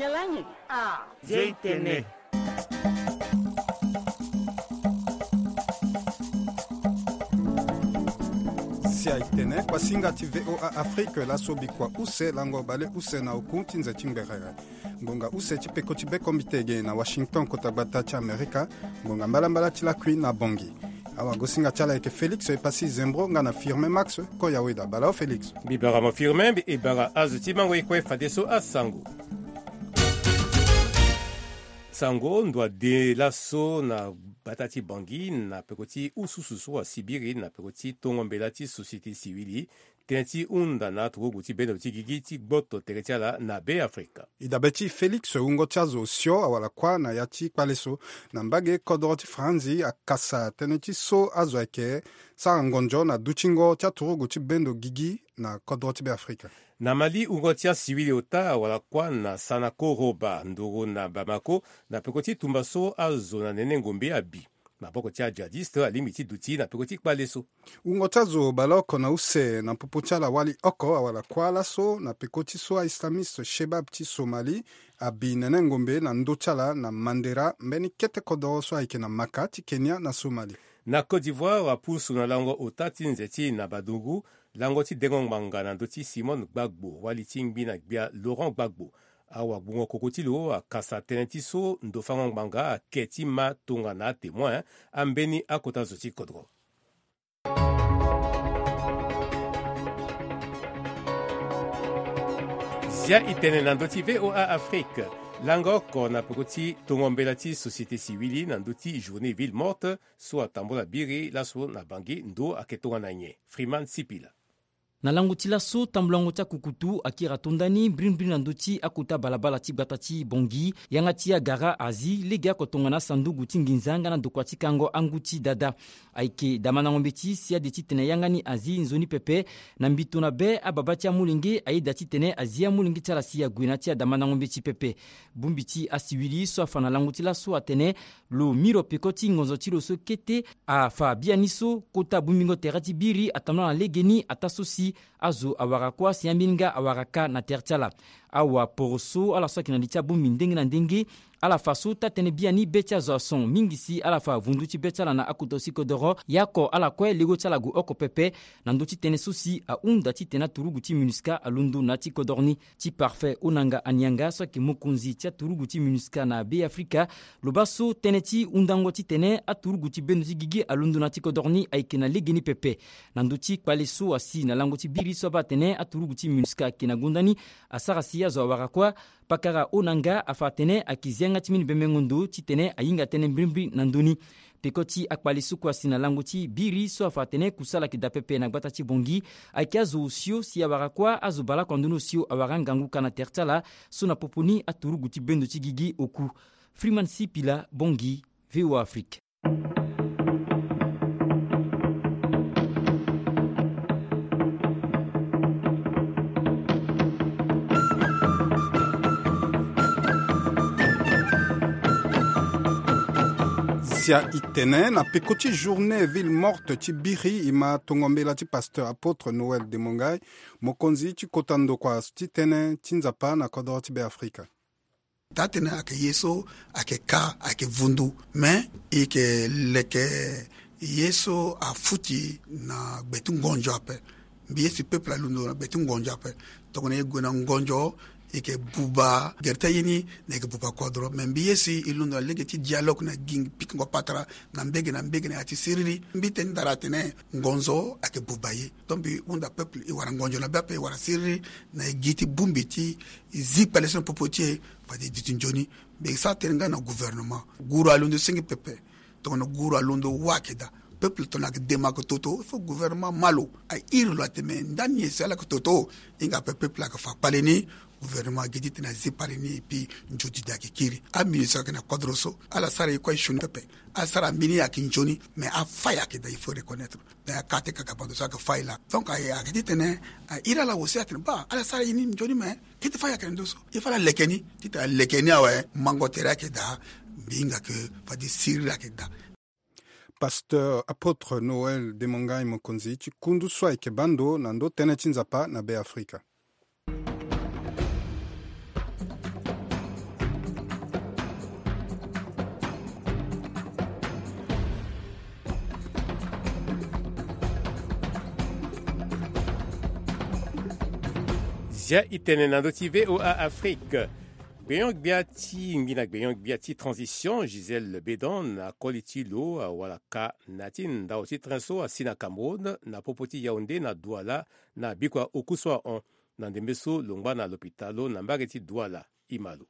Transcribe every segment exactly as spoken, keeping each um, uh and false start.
Nzia i tene. Nzia i tene, kuasinga ti VOA Afrique, laso bikua use, lango baleuse na oku ti nze ti ngberere. Ngonga use ti peko ti bekombite ge na Washington, kota gbata ti Amerika. Ngonga mbalambala ti lakui na Bangui. Awagosinga ti ala ayeke Félix Epassi Zembro nga na Firmin Max Koyaweda. Bala o Félix. Mbi bara mo Firmin, mbi e bara azo ti mango e kue fadeso asango. Sango, ndo ade laso na gbata ti Bangui na peko ti ususu so asibiri na peko ti tongo mbela ti société civile, tënë ti hunda na aturugu ti bendo ti gigi ti gboto tere ti ala na Be Afrika. E dabe ti Félix, wungo ti azo osio awara kuâ na ya ti kpale so na mbage kodoro ti Faranzi akasa tënë ti so azo ayeke sara ngonzo na dutingo ti aturugu ti bendo gigi na kodoro ti Be Afrika. Na Mali, wungo ti asiwili ota awara kuâ na Sanakoroba, nduru na Bamako, na peko ti tumba so azo na nene ngombe abi. Maboko ti ajihadiste alingbi ti duti na peko ti kpale so. Wungo ti azo baleoko na use na popo ti ala wali oko awara kuâ laso na peko ti so aislamiste Shebab ti Somali abi nene ngombe na ndö ti ala na Mandera, mbeni kete kodoro so ayeke na Maka ti Kenya na Somali. Na Côte d'Ivoire, apusu na lango ota ti nze ti Nabadongo, lango ti dengo ngbanga na ndö ti Simone Gbagbo, wali ti ngbi na gbia Laurent Gbagbo. Awagbungo koko ti lo akasa tënë ti so ndo fango ngbanga ake ti ma tongana atémoin ambeni akota zo ti kodro. Zia i tene na ndö ti VOA Afrique. Langa oko na peko ti tongo mbela ti société civile na ndö ti journée ville morte so atambola biri laso na Bangui, ndo ake tongana nyen? Freeman Sipila. Na lango ti laso, tambulango ti akukutu akiri atonda ni mbirimbiri na ndö ti akota balabala ti gbata ti Bangui. Yanga ti agara azi lege oko tongana asanduku ti nginza nga na ndokua ti kango angu ti dada. Ayeke damandango mbeti si ade titene yanga ni azi nzoni pepe. Na mbito na be, ababa ti amolenge ayeda titene azi amolenge ti ala si ague na ya ti adamandango mbeti pepe. Bongbi ti asiwili so afa na lango ti laso atene lo miro peko ti ngonzo ti lo so kete afa biani so kota bongbingo tere ti biri atambola na legeni ataa so si azo awara kuâ si ambeni nga awara ka na tere ti ala. Awaporoso ala so ayeke na li ti abongbi ndenge na ndenge, ala fa so taa-tënë biani be ti azo ason mingi si ala fa vundu ti be ti ala na akota si kodoro. Ya oko ala kue lego ti ala gue oko pepe na ndö ti tënë so si ahunda titene aturugu ti MINUSCA alondo na ya ti kodoro ni. Ti Parfait Onanga Anianga so ayeke mokonzi ti aturugu ti MINUSCA na Be Afrika, lo baa so tënë ti hundango titene aturugu ti bendo ti gigi alondo na ya ti kodoro ni ayeke na legeni pepe. Na ndö ti kpale so asi na lango ti biri so abaa atene aturugu ti MINUSCA ayeke na gonda ni asara si azo awara kuâ. Pakara Onanga afa atene ayeke zi yanga ti mbeni bembengo ndo titene ahinga tënë mbirimbiri na ndö ni. Peko ti akpale so kue asi na lango ti biri so afa atene kusala ayeke daa pepe na gbata ti Bangui. Ayeke azo osio si awara kuâ, azo baleoko na ndö ni osio awara ngangu ka na tere ti ala so na popo ni aturugu ti bendo ti gigi oku. Freeman Sipila, Bangui, VOA Afrique. Zia i tene, na peko ti journée ville morte ti biri, e ma tongo mbela ti pasteur apôtre Noël Demongai, mokonzi ti kota ndokua ti tënë ti Nzapa na kodoro ti Be Afrika. Taa-tënë ayeke ye so ayeke ka, ayeke vundu. Me e yeke leke ye so afuti na gbe ti ngonzo ape. Mbi ye si peuple alondo na gbe ti ngonzo ape. Tongana e gue na ngonzo, e yeke buba gere ti aye ni, na e yeke buba kodro. Me mbi ye si e londo na lege ti dialogue na gi pikingo patara na mbege na mbege na ya ti siriri. Mbi tene ndara atene ngonzo ayeke buba ye. Donc mbi hunda peuple e wara ngonzo na be ape, e wara siriri na e gi ti bongbi ti e zi kpale so na popo ti e, fade e duti nzoni. Mbi sara tënë nga na gouvernement. Guru alondo senge pepe. Tongana guru alondo wâ ayeke daa. Peuple tongana ayeke dema ayeke toto, il faut gouvernement ma lo. A iri lo atene me ndani nyen si ala yeke toto. Hinga ape peuple ayeke fa kpale ni. Gouvernement agi titene azi kpale ni, et puis nzoni ayeke kiri. Aministre ayeke na kodro so, ala sara e kue sioni pepe. Asara mbeni ayeke nzoni, mais afai ayeke daa, il faut reconnaître. Mais akate kaka bando so ayeke fai laa. Donc aye ayeke titene a iri ala aussi atene baa ala sara ye ni nzoni, mais kete fai ayeke na ndo so. Il faut ala leke ni titene aleke ni awe, mango tere ayeke daa. Mbi hinga ke fade siriri ayeke daa. Pasteur apôtre Noël Demongai, mokonzi ti kundu so ayeke baa ndo na ndo tënë ti Nzapa na Be Afrika. Dia itene na ndö ti VOA Afrique. Gbenyo-gbia ti ngbina gbenyo-gbia ti transition, Gisèle Bédon, na koli ti lo awalaka na ya ti ndao ti train so asi na Cameroun na popo ti Yaoundé na Douala, na bikua oku so ahon. Na ndembe so lo ngba na lopitalo na mbage ti Douala. Imalo.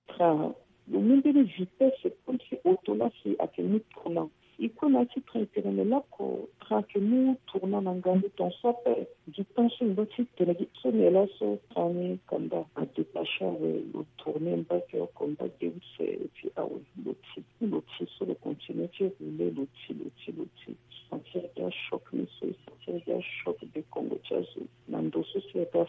Tra lo mu mbeni vitesse comme si auto la si ayeke mu tournant. E kue na ya ti train e tene me lako tra ayeke mu tournant na ngangu ton so ape. Gi temps so e ngba ti tene gi so ni laso tra ni kanda adétache awe, lo tourne mbage oko mbage use, et puis awe lo ti lo ti so lo continue ti rouler lo ti lo ti lo ti. Sentir ga choc ni so e sentir ga choc de Congo ti azo. Na ndo so si aga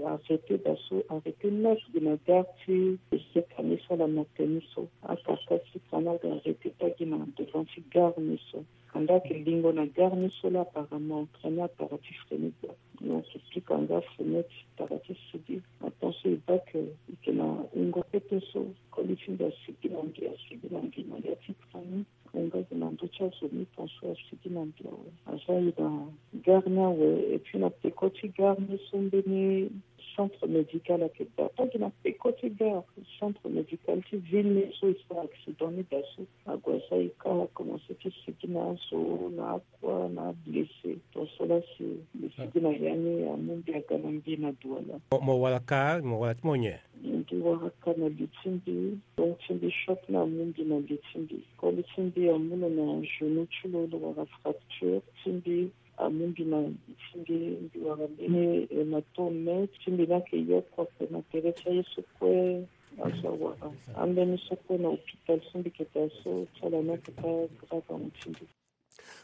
arrêté da so arrêté net gi na gare ti Seka ni so ala na teni so. Akaka si kana aga arrêté ta gi na devant ti gare ni so. Kanda ayeke lingo na gare ni so la apparemment train ni atara ti freiner gbia. Donc e pika nga fenêtre tara ti sigi. Atant so e baa ke e yeke na wungo kete so koli ti mbi asigi na mbi asigi na mbi na ya ti train ni. Wungo ayeke na ndö ti azo ni ton so asigi na mbi awe. Aza e na gare ni awe et puis na peko ti gare ni so mbeni centre médical ayeke daa. Taa gi na peko ti gare centre médical ti ville ni so e sara accident ni daa so. Ague aza e ka akomanse ti sigi na azo na akua na ablessé. Ton so la si e sigi na ya ni amu mbi aga na mbi na Douala. Mo wara ka mo wara ti mo nyen? Mbi wara ka na li ti mbi. Long ti mbi choc ni amu mbi na li ti mbi. Koli ti mbi amu lo na genou ti lo lo wara fracture. Ti mbi amu mbi na li ti mbi. Mbi wara mbeni hématome. Ti mbi ni ayeke yoko ape na tere ti aye so kue. Azo awara ambeni so kue na hôpital so mbi yeke daa so ti ala ni ayeke pas grave amu ti mbi.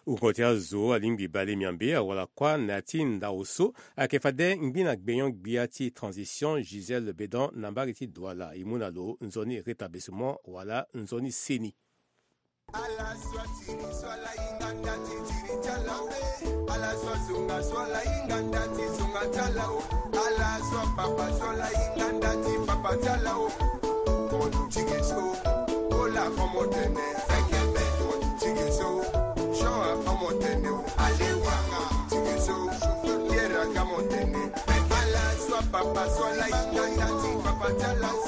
Wungo ti azo alingbi bale miambe awara kuâ na ya ti ndao so ayeke fade ngbina gbenyo-gbia ti transition Gisèle Bédon na mbage ti Douala. E mu na lo nzoni rétablissement wala nzoni seni. Ala so atiri so ala hinga nda ti tiri ti ala o. Ala so azonga so ala hinga nda ti zonga ti ala o. Ala so apapa so ala hinga nda ti papa ti ala o. Mo duti ge so Ola omo tene. Fekebe mo duti ge so. Jean omo tene o. Ale wanga duti ge so. Pierre aga mo tene. Ala so apapa so ala hinga nda ti papa ti ala o.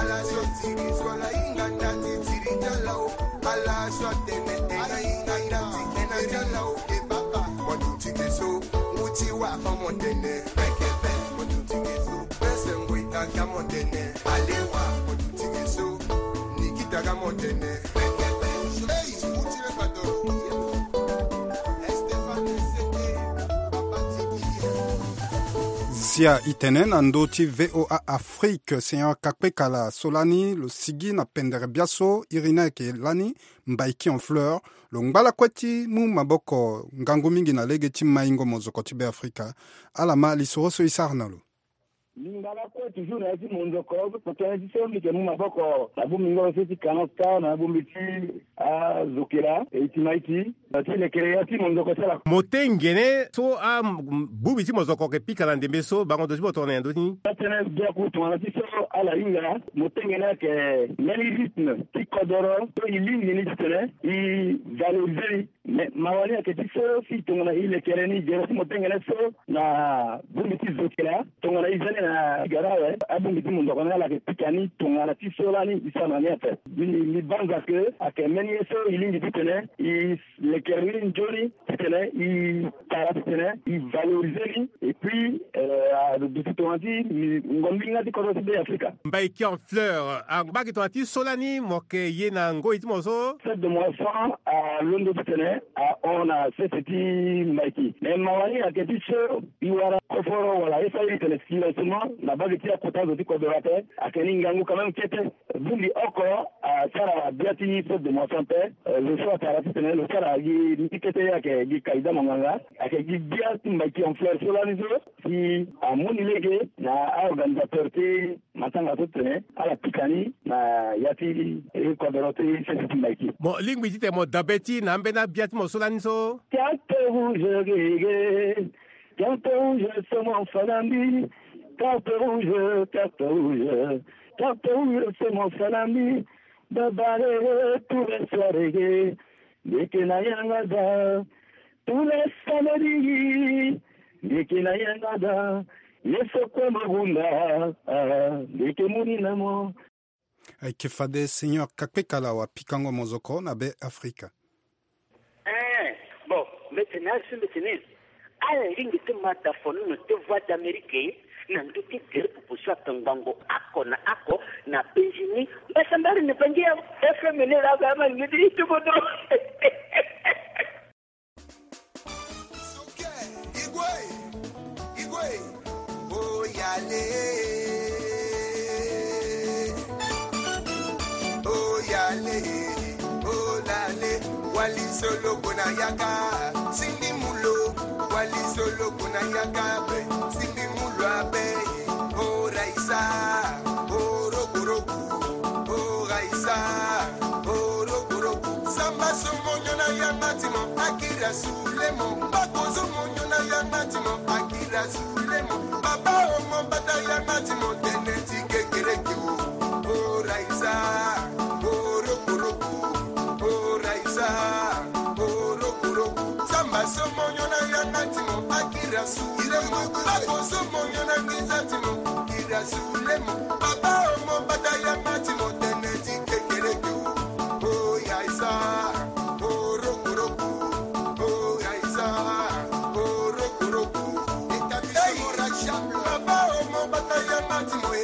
Ala so atiri so ala hinga nda ti tiri ti ala o. Ala so atene ena hinga nda ti ena ti ala o. E papa mo duti ge so. Ngu ti wa omo tene. Fekebe mo duti ge so. Pese ngui aga mo tene. Ale wa mo duti ge so. Nikita aga mo tene. Fekebe. Ei, ngu ti le pato. Estefane Sete. Papa ti. Zia itene na ndö ti VOA Afrique, Seigneur Kakpekala so lani lo sigi na pendere biaso iri ni ayeke lani Mbaiki en fleur. Lo ngba lakue ti mu maboko ngangu mingi na lege ti maingo mozoko ti Beafrika. Ala ma lisoro so e sara na lo. Mbi ngba lakue toujours na ya ti monzoko, tongana ti so mbi yeke mu maboko na bongbingo so ti Kanaka na ya bongbi ti azokela e ti maiti. Na ti lekere ya ti monzoko ti ala. Mo tengene so abongbi ti mozoko yeke pika na ndembe so bango ndo ti mo tongana nyen ndo ti ni? Atene biaku tongana ti so ala hinga mo tengene ayeke mbeni rythme ti kodoro so e lingbi ni titene e valoriser ni. Mais mawa ni ayeke ti so si tongana e lekere ni gere ti mo tengene so na bongbi ti zokela tongana e za ni na gara awe abongbi ti monzoko ni ala yeke pika ni tongana ti so lani e sara na ni ape. Mbi mbi banza ke ayeke mbeni ye so e lingbi titene e lekere ni nzoni titene e tara titene e valoriser ni. Et puis aduti tongana ti ngombi nga ti kodro ti Beafrika. Mbaiki en fleur angba gi tongana ti so lani mo yeke ye na ngoi ti mo so. Fête de moisson alondo titene ahon na sese ti Mbaiki. Mais mawa ni ayeke ti so e wara koforo wala e sara ye titene silencement na mbage ti akota zo ti kodro ape. Ayeke ni ngangu quand même kete. Bongbi oko asara gbia ti fête de moisson ape. Lo so atara titene lo sara gi ni kete ayeke gi kayida monganga. Ayeke gi gbia ti Mbaiki en fleur so lani so si amu ni lege na aorganisateur ti matanga so titene ala pika ni na ya ti kodoro ti sese ti Mbaiki. Mo lingbi titene mo dabe ti na ambeni abia ti mo so lani so. Carte rouge gege. Carte rouge c'est mon falandi. Carte rouge, carte rouge. Carte rouge c'est mon falandi. Babare tous les soirs gege. Mbi yeke na yanga daa. Tous les samedis mbi yeke na yanga daa. Ye so kue mabunda, ah, ndeke moni na mo. Ayeke fade Seigneur Kakpekala wa pikango mozoko na Be Afrika. Eh, bon, mbeti na asu mbeti ni. Ala ringi ti mata fonono ti Voix d'Amérique na ndö ti tere popo so ake ngbongo oko na oko na Benjini. Mbasambari ni bangi ya F M ni la ba ma ni ti kodro. Igwe, igwe, oyale, oyale, olale, wali solo kona yaka, sindi mulo, wali solo kona yaka, be, sindi mulo abe, oraisa, orokoroku, oraisa, orokoroku, samba somonyo na yanga timo, akira sulemo, bako somonyo na yanga timo, akira sulemo, baba omo bata yanga timo, tene ti kekereke o, oraisa, orokoroku, oraisa, orokoroku, samba somonyo na yanga timo, akira sulemo, bako somonyo na ngiza timo, kira sulemo, baba omo bata yanga timo, tene ti kekereke o, oyaisa, orokoroku, oyaisa, orokoroku, hey, baba omo bata yanga timo e.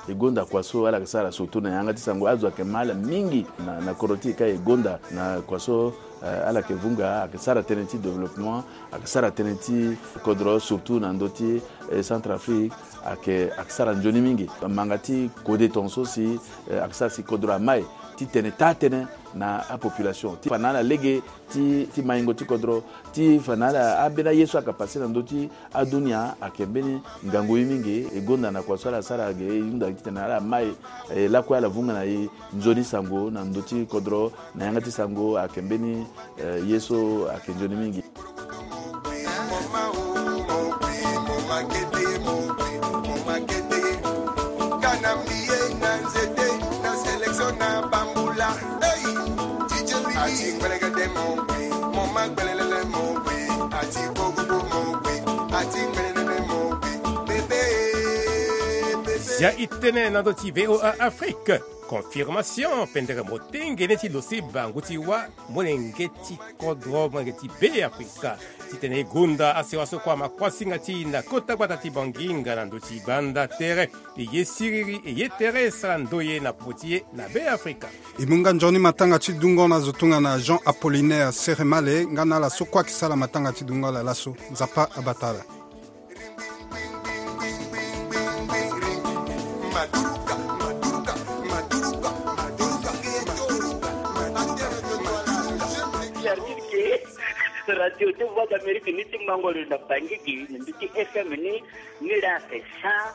E gonda kua so ala yeke sara surtout na yanga ti sango, azo ayeke ma ala mingi na, na kodro ti e ka e gonda na kua so, eh, ala yeke vunga, ayeke sara tënë ti développement, ayeke sara tënë ti kodro, surtout na ndö ti, eh, Centrafrique, ayeke, ayeke sara nzoni mingi. Manga ti kode tongaso si, eh, ayeke sara si kodro amai ti tene taa-tënë na apopulation. Ti fa na ala lege ti, ti maingo ti kodro, ti fa na ala ambeni aye so ayeke pase na ndö ti adunia, ayeke mbeni ngangu ye mingi. E gonda na kua so ala sara ge, e hunda titene ala mai, e lakue ala vunga na e nzoni sango na ndö ti kodro, na yanga ti sango ayeke mbeni, eh, ye so ayeke nzoni mingi. Zia e tene na ndö ti V O A Afrique. Confirmation pendere motengene ti lo si bangu ti wâ molenge ti kodro, molenge ti Be Afrika. Titene e gonda asewa so kua ma kuasinga ti e na kota gbata ti Banginga na ndö ti banda tere. E ye siriri, e ye tere sara ndoye na popo ti e na Be Afrika. E mu nga nzoni matanga ti dungo na zo tongana Jean Apollinaire Seremale, nga na ala so kue ayeke sara matanga ti dungo ala laso. Nzapa abata ala. Radio ti Voix d'Amérique ni ti mango lo na Bangui gi, na ndö ti F M ni, ni la c'est cent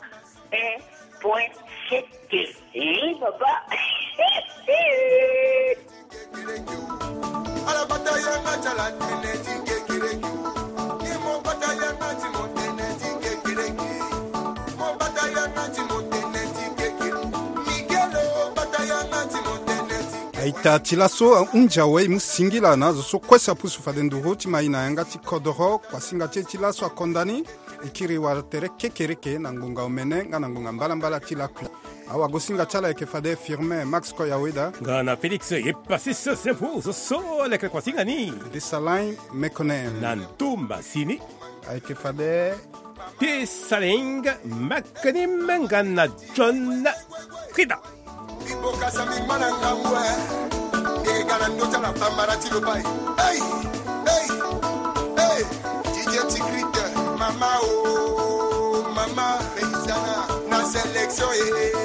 un point sept. Eh, papa. Aita ti laso ahunzi awe, e mu singila na azo so kue si apusu fade nduru ti ma e na yanga ti kodoro. Kuasinga ti e ti laso akonda ni. E kiri wala tere kekereke na ngonga omene nga na ngonga mbalambala ti lakui. Awagosinga ti ala ayeke fade Firmin Max Koyaweda. Nga na Félix Epasis Sempu, zo so ala yeke kuasinga ni. Dessalin Mekonen. Na ndo masini. Ayeke fade Dessalin Makani Menga na John Frida. Iboka sami mana ngambwe. Ngega na ndota na bambara ti lobai. Hey, hey, hey. Didier Tigrit, mama o, mama. Paysanne na sélection, eh, eh.